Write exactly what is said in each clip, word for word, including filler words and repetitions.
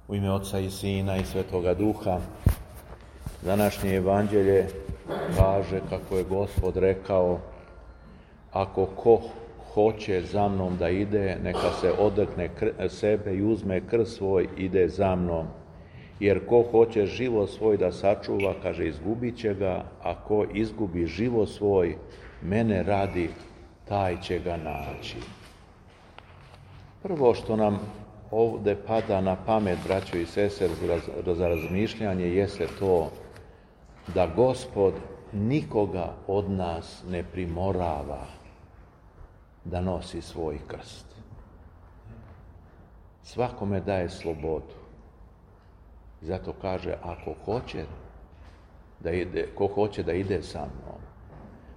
U ime Oca i Sina i Svetoga Duha. Današnje evanđelje kaže kako je Gospod rekao: ako ko hoće za mnom da ide, neka se odrekne sebe i uzme krst svoj, ide za mnom. Jer ko hoće život svoj da sačuva, kaže, izgubit će ga, a ko izgubi život svoj, mene radi, taj će ga naći. Prvo što nam ovdje pada na pamet, braćo i sestre, za razmišljanje, jeste to da Gospod nikoga od nas ne primorava da nosi svoj krst. Svakome daje slobodu. Zato kaže, ako hoće da ide, ko hoće da ide sa mnom.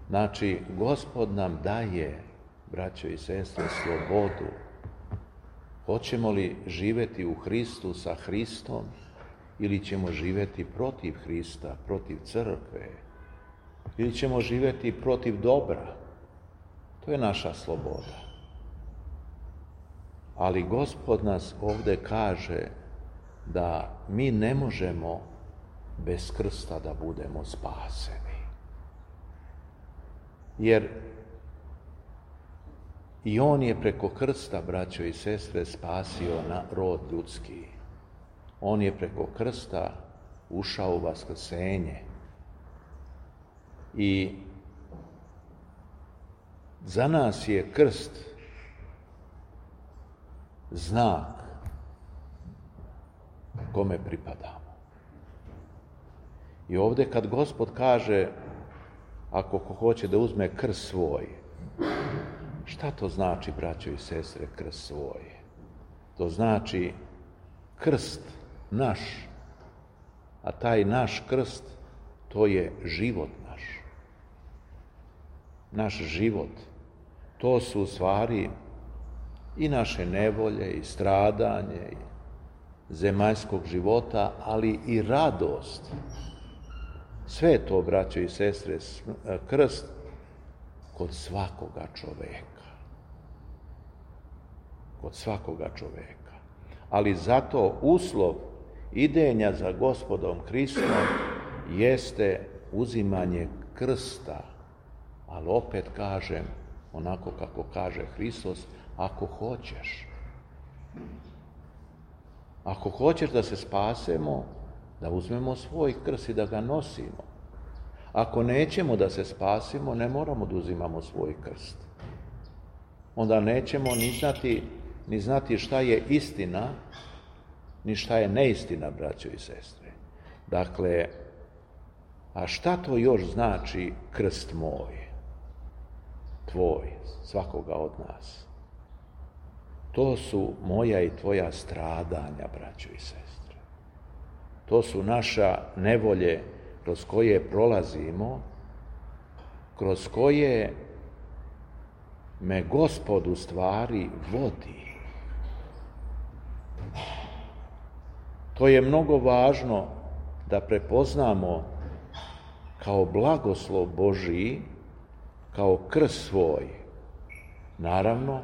Znači, Gospod nam daje, braćo i sestre, slobodu. Hoćemo li živjeti u Hristu sa Hristom ili ćemo živjeti protiv Hrista, protiv crkve, ili ćemo živjeti protiv dobra. To je naša sloboda. Ali Gospod nas ovdje kaže da mi ne možemo bez krsta da budemo spaseni. Jer i on je preko krsta, braćo i sestre, spasio na rod ljudski. On je preko krsta ušao u vaskrsenje. I za nas je krst znak kome pripadamo. I ovdje kad Gospod kaže, ako ko hoće da uzme krst svoj, šta to znači, braćo i sestre, krst svoj? To znači krst naš, a taj naš krst, to je život naš. Naš život, to su u stvari i naše nevolje, i stradanje, i zemaljskog života, ali i radost. Sve to, braćo i sestre, krst kod svakoga čoveka. Kod svakoga čoveka. Ali zato uslov idenja za Gospodom Hristom jeste uzimanje krsta. Ali opet kažem, onako kako kaže Hristos, ako hoćeš. Ako hoćeš da se spasemo, da uzmemo svoj krst i da ga nosimo. Ako nećemo da se spasimo, ne moramo da uzimamo svoj krst. Onda nećemo ni znati, ni znati šta je istina, ni šta je neistina, braćo i sestre. Dakle, a šta to još znači krst moj, tvoj, svakoga od nas? To su moja i tvoja stradanja, braćo i sestre. To su naša nevolje kroz koje prolazimo, kroz koje me Gospod u stvari vodi. To je mnogo važno da prepoznamo kao blagoslov Božiji, kao krst svoj. Naravno,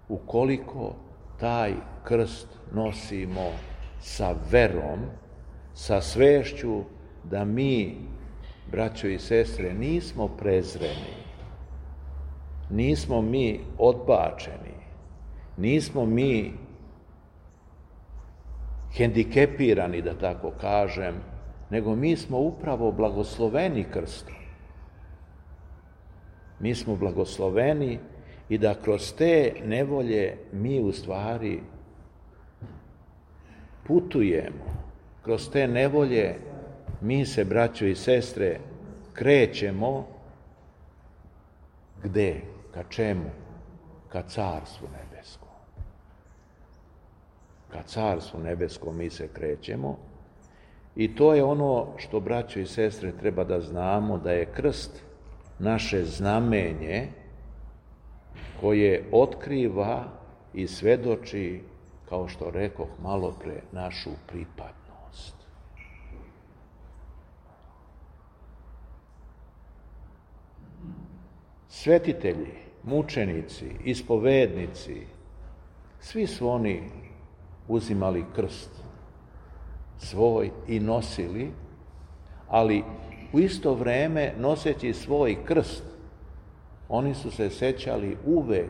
ukoliko taj krst nosimo sa verom, sa svešću da mi, braćo i sestre, nismo prezreni, nismo mi odbačeni, nismo mi hendikepirani, da tako kažem, nego mi smo upravo blagosloveni krstom. Mi smo blagosloveni i da kroz te nevolje mi u stvari putujemo. Kroz te nevolje mi se, braćo i sestre, krećemo gde? Ka čemu? Ka carstvu nebeskom. Ka carstvu nebeskom mi se krećemo i to je ono što, braćo i sestre, treba da znamo, da je krst naše znamenje koje otkriva i svedoči, kao što rekoh malo pre, našu pripadnost. Svetitelji, mučenici, ispovednici, Svi su oni uzimali krst svoj i nosili, ali u isto vrijeme noseći svoj krst, oni su se sećali uvek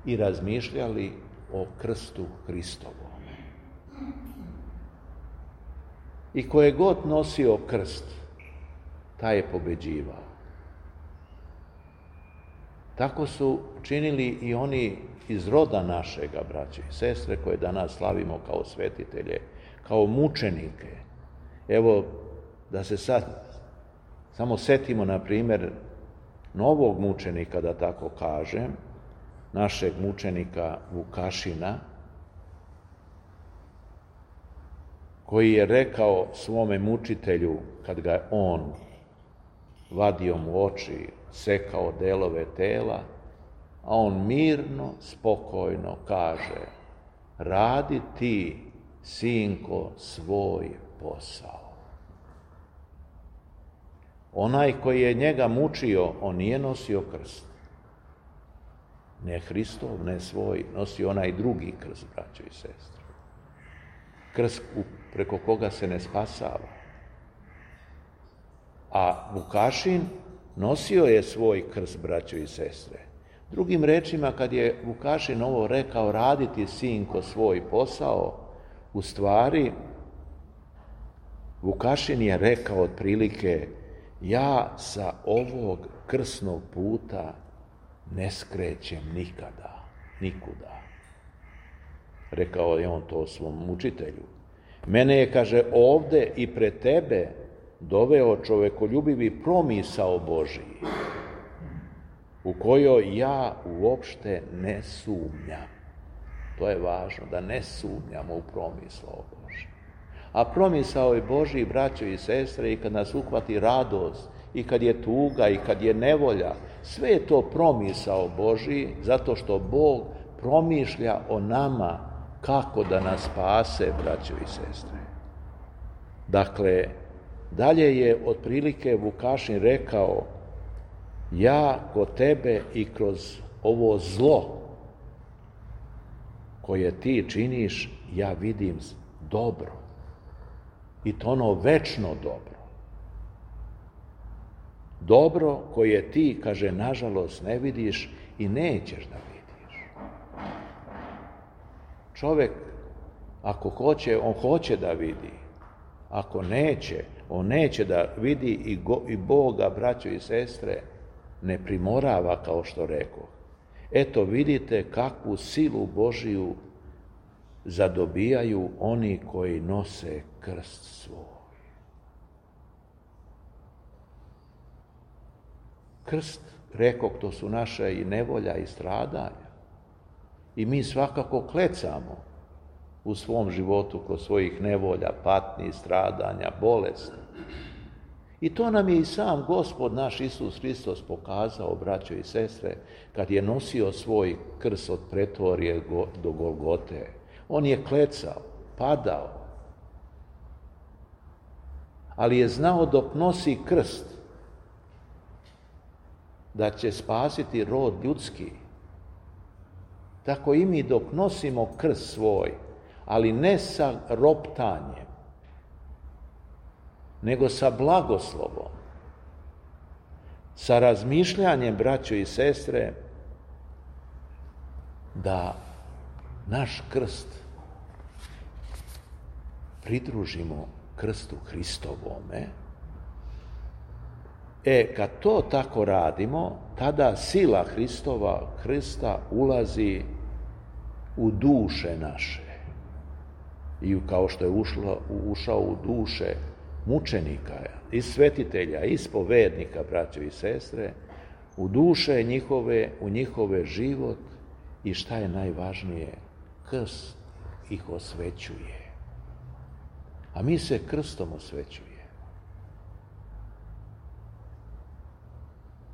i razmišljali o krstu Hristovom. I ko je god nosio krst, taj je pobeđivao. Tako su činili i oni iz roda našega, braće i sestre, koje danas slavimo kao svetitelje, kao mučenike. Evo, da se sad samo setimo, na primjer, novog mučenika, da tako kažem, našeg mučenika Vukašina, koji je rekao svome mučitelju, kad ga je on vadio mu oči, sekao delove tela, a on mirno, spokojno kaže: radi ti, sinko, svoj posao. Onaj koji je njega mučio, on nije nosio krst. Ne Hristov, ne svoj, nosio onaj drugi krst, braćo i sestre. Krst preko koga se ne spasava. A Vukašin nosio je svoj krst, braćo i sestre. Drugim rečima, kad je Vukašin ovo rekao, raditi, sinko, svoj posao, u stvari Vukašin je rekao otprilike: ja sa ovog krsnog puta ne skrećem nikada, nikuda. Rekao je on to svom mučitelju. Mene je, kaže, ovde i pred tebe doveo čovekoljubivi promisao Božiji, u kojoj ja uopšte ne sumnjam. To je važno, da ne sumnjamo u promisao Božiji. A promisao je Božiji, braćo i sestre, i kad nas uhvati radost, i kad je tuga, i kad je nevolja, sve je to promisao Božiji, zato što Bog promišlja o nama kako da nas spase, braćo i sestre. Dakle, dalje je otprilike Vukašin rekao: ja kod tebe i kroz ovo zlo koje ti činiš, ja vidim dobro. I to ono večno dobro. Dobro koje ti, kaže, nažalost ne vidiš i nećeš da vidiš. Čovjek, ako hoće, on hoće da vidi. Ako neće, on neće da vidi i, go, i Boga, braćo i sestre, ne primorava, kao što rekoh. Eto, vidite kakvu silu Božiju zadobijaju oni koji nose krst svoj. Krst, rekoh, to su naše i nevolja i stradanja. I mi svakako klecamo u svom životu kroz svojih nevolja, patnji, stradanja, bolesti. I to nam je i sam Gospod naš Isus Hristos pokazao, braćo i sestre, kad je nosio svoj krst od Pretorije do Golgote. On je klecao, padao, ali je znao dok nosi krst da će spasiti rod ljudski. Tako i mi dok nosimo krst svoj, ali ne sa roptanjem, nego sa blagoslovom, sa razmišljanjem, braćo i sestre, da naš krst pridružimo krstu Hristovome. E, kad to tako radimo, tada sila Hristova krsta ulazi u duše naše. I kao što je ušlo, ušao u duše mučenika, i svetitelja, i spovednika, braćo i sestre, u duše njihove, u njihove život, i šta je najvažnije, krst ih osvećuje. A mi se krstom osvećujemo.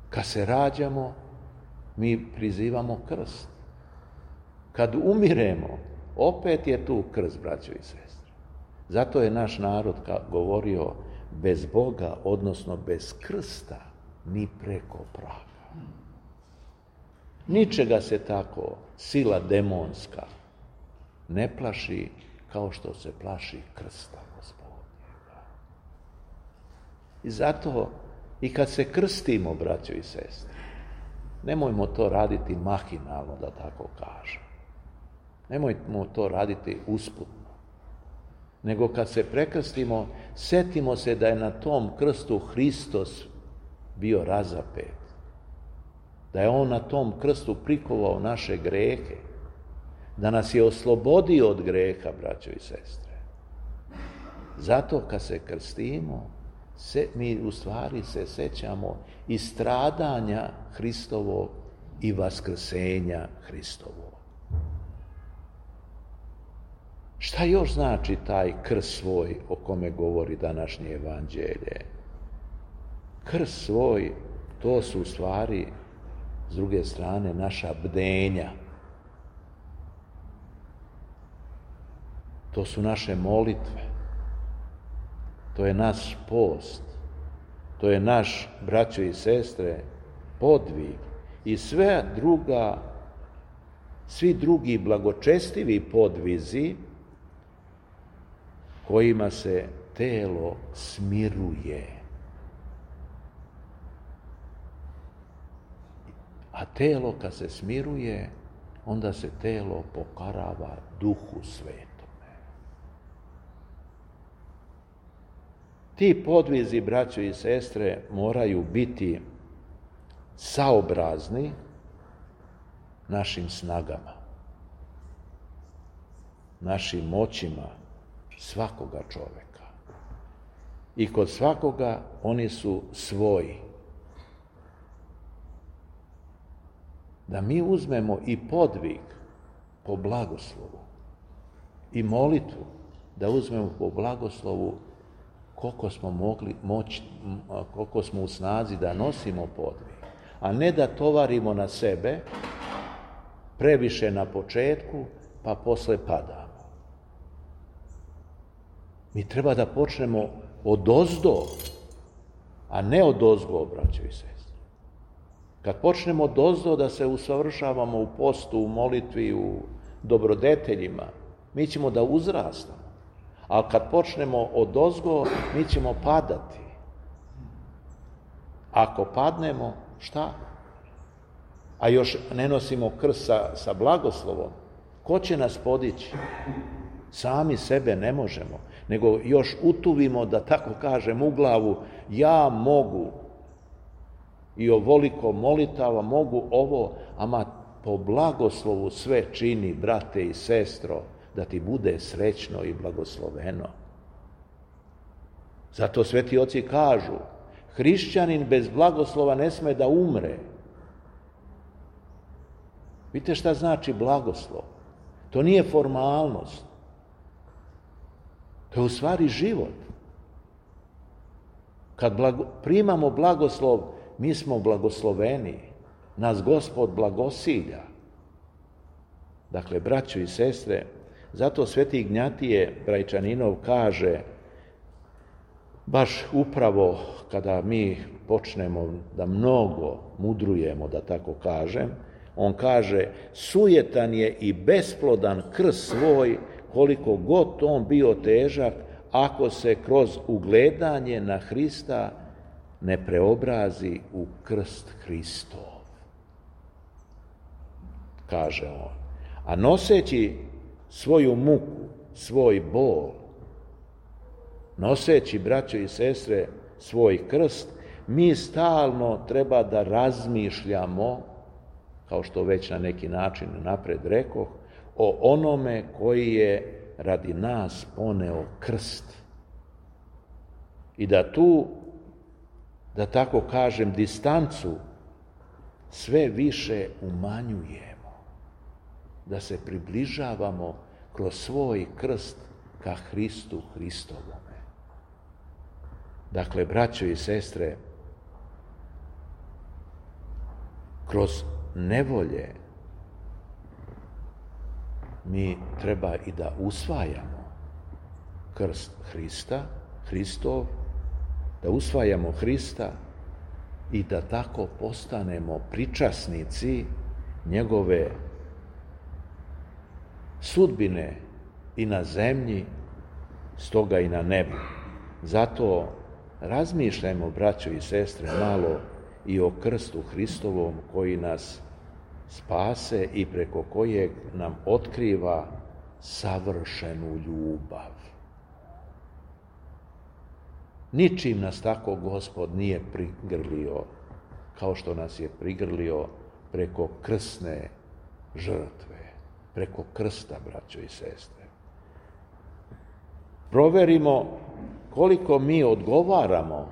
Kad se rađamo, mi prizivamo krst. Kad umiremo, opet je tu krst, braćo i sestre. Zato je naš narod govorio: bez Boga, odnosno bez krsta, ni preko praga. Ničega se tako sila demonska ne plaši kao što se plaši krsta Gospodnjega. I zato i kad se krstimo, braćo i sestre, nemojmo to raditi mahinalno, da tako kažem. Nemojmo to raditi usputno. Nego kad se prekrstimo, setimo se da je na tom krstu Hristos bio razapet. Da je on na tom krstu prikovao naše grehe. Da nas je oslobodio od greha, braćo i sestre. Zato kad se krstimo, se, mi u stvari se sećamo i stradanja Hristovog i vaskrsenja Hristovog. Šta još znači taj krst svoj o kome govori današnje evanđelje? Krst svoj, to su u stvari, s druge strane, naša bdenja. To su naše molitve. To je naš post. To je naš, braćo i sestre, podvig. I sve druga, svi drugi blagočestivi podvizi kojima se telo smiruje. A telo kad se smiruje, onda se telo pokorava Duhu Svetome. Ti podvizi, braćo i sestre, moraju biti saobrazni našim snagama, našim moćima svakoga čoveka. I kod svakoga oni su svoji. Da mi uzmemo i podvig po blagoslovu i molitvu, da uzmemo po blagoslovu koliko smo mogli moći, koliko smo u snazi da nosimo podvig, a ne da tovarimo na sebe previše na početku, pa posle padamo. Mi treba da počnemo odozdo, a ne odozgo, braćo i sestre. Kad počnemo odozdo da se usavršavamo u postu, u molitvi, u dobrodeteljima, mi ćemo da uzrastamo. Ali kad počnemo odozgo, mi ćemo padati. Ako padnemo, šta? A još ne nosimo krst sa, sa blagoslovom, ko će nas podići? Sami sebe ne možemo, nego još utuvimo, da tako kažem, u glavu, ja mogu i ovoliko molitava, mogu ovo, ama po blagoslovu sve čini, brate i sestro, da ti bude srećno i blagosloveno. Zato sveti oci kažu, hrišćanin bez blagoslova ne sme da umre. Vidite šta znači blagoslov? To nije formalnost. To je u stvari život. Kad blago, primamo blagoslov, mi smo blagosloveni. Nas Gospod blagosilja. Dakle, braćo i sestre, zato sveti Ignjatije Brajčaninov kaže, baš upravo kada mi počnemo da mnogo mudrujemo, da tako kažem, on kaže, sujetan je i besplodan krst svoj, koliko god on bio težak, ako se kroz ugledanje na Hrista ne preobrazi u krst Hristov. Kaže on. A noseći svoju muku, svoj bol, noseći, braćo i sestre, svoj krst, mi stalno treba da razmišljamo, kao što već na neki način napred rekoh, o onome koji je radi nas poneo krst. I da tu, da tako kažem, distancu sve više umanjujemo. Da se približavamo kroz svoj krst ka Hristu Hristovome. Dakle, braćo i sestre, kroz nevolje mi treba i da usvajamo krst Hrista, Hristov, da usvajamo Hrista i da tako postanemo pričasnici njegove sudbine i na zemlji, stoga i na nebu. Zato razmišljajmo, braćo i sestre, malo i o krstu Hristovom koji nas spase i preko kojeg nam otkriva savršenu ljubav. Ničim nas tako Gospod nije prigrlio kao što nas je prigrlio preko krsne žrtve, preko krsta, braćo i sestre. Proverimo koliko mi odgovaramo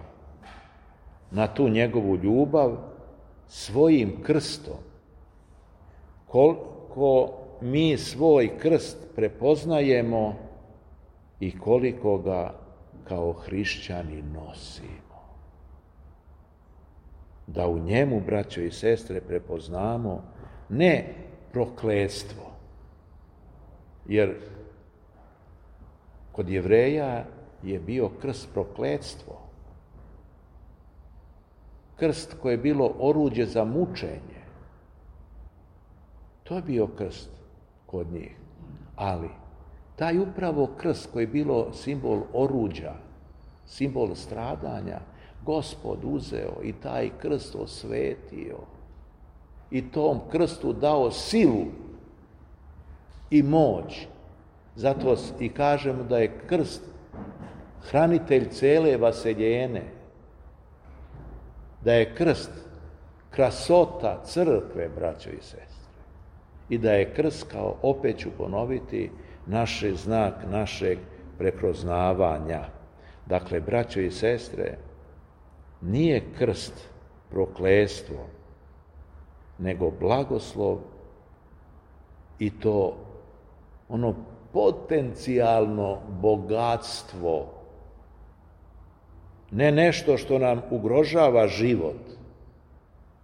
na tu njegovu ljubav svojim krstom, koliko mi svoj krst prepoznajemo i koliko ga kao hrišćani nosimo. Da u njemu, braćo i sestre, prepoznamo ne prokletstvo, jer kod Jevreja je bio krst prokletstvo. Krst koje je bilo oruđe za mučenje. To je bio krst kod njih. Ali taj upravo krst koji je bilo simbol oruđa, simbol stradanja, Gospod uzeo i taj krst osvetio i tom krstu dao silu i moć. Zato i kažemo da je krst hranitelj cele vaseljene, da je krst krasota crkve, braćo i sestre, i da je krst, kao opet ću ponoviti, naš znak našeg prepoznavanja. Dakle, braćo i sestre, nije krst prokletstvo, nego blagoslov, i to ono potencijalno bogatstvo, ne nešto što nam ugrožava život,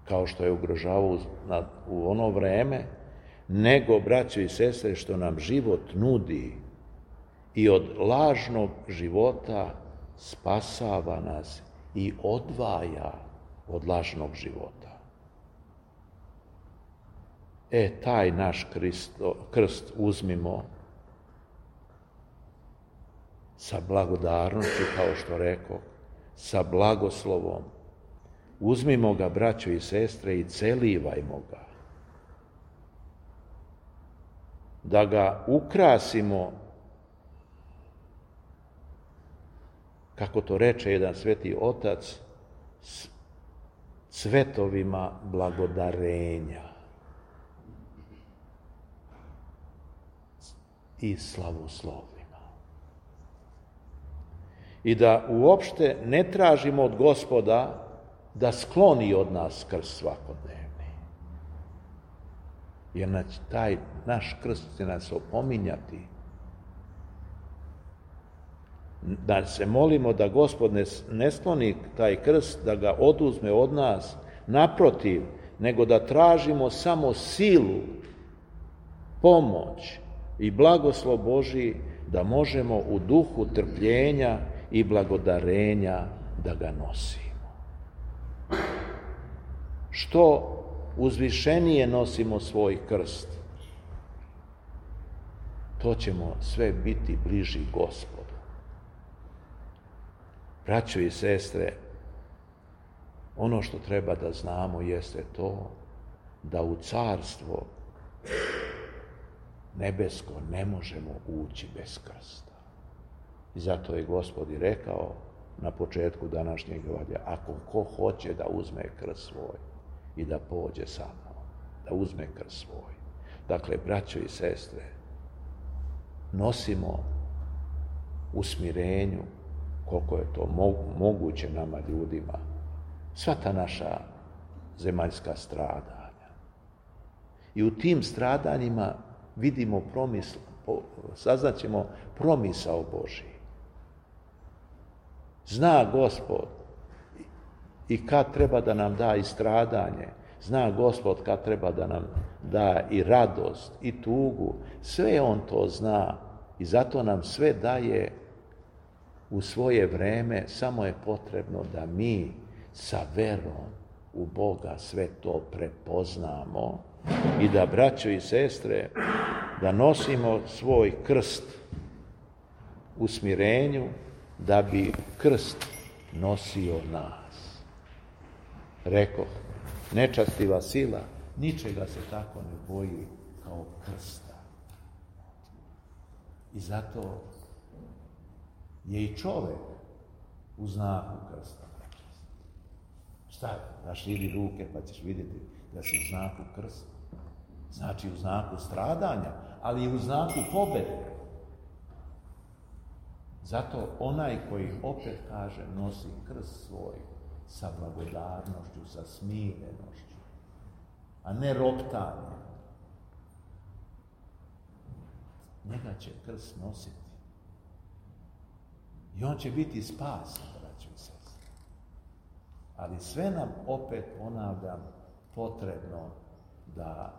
kao što je ugrožavao u ono vreme, nego, braćo i sestre, što nam život nudi i od lažnog života spasava nas i odvaja od lažnog života. E, taj naš Kristo, krst uzmimo sa blagodarnošću, kao što rekao, sa blagoslovom. Uzmimo ga, braćo i sestre, i celivajmo ga. Da ga ukrasimo, kako to reče jedan sveti otac, s cvetovima blagodarenja i slavoslovima. I da uopšte ne tražimo od Gospoda da skloni od nas krst svakodnevni. Jer taj naš krst će nas opominjati. Da se molimo da Gospod ne skloni taj krst, da ga oduzme od nas, naprotiv, nego da tražimo samo silu, pomoć i blagoslov Božji, da možemo u duhu trpljenja i blagodarenja da ga nosimo. Što uzvišenije nosimo svoj krst, to ćemo sve biti bliži Gospodu. Braćo i sestre, ono što treba da znamo jeste to da u carstvo nebesko ne možemo ući bez krsta. I zato je Gospod i rekao na početku današnjeg evanđelja, ako ko hoće da uzme krst svoj i da pođe sa mnom, da uzme krst svoj. Dakle, braćo i sestre, nosimo u smirenju, koliko je to moguće nama ljudima, sva ta naša zemaljska stradanja. I u tim stradanjima vidimo promisl, saznaćemo promisao Božji. Zna Gospod i kad treba da nam da i stradanje, zna Gospod kad treba da nam da i radost i tugu, sve on to zna i zato nam sve daje u svoje vreme, samo je potrebno da mi sa verom u Boga sve to prepoznamo i da, braćo i sestre, da nosimo svoj krst u smirenju, da bi krst nosio nas. Rekoh, nečastiva sila ničega se tako ne boji kao krsta. I zato je i čovek u znaku krsta. Šta? Raširi ruke pa ćeš vidjeti da si u znaku krsta. Znači u znaku stradanja, ali i u znaku pobede. Zato onaj koji opet kaže nosi krst svoj sa blagodarnošću, sa smirenošću, a ne roptanjem. Njega će krst nositi. I on će biti spasan, braćo i sestre. Ali sve nam opet, ponavljam, potrebno da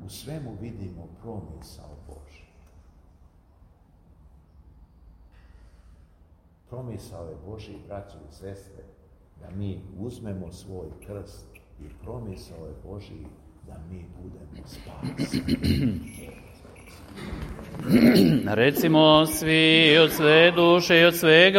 u svemu vidimo promisao Božji. Promisao je Božji, braćo i sestre, da mi uzmemo svoj krst i promisao je Božji da mi budemo spaseni. Recimo svi od sve duše i od svega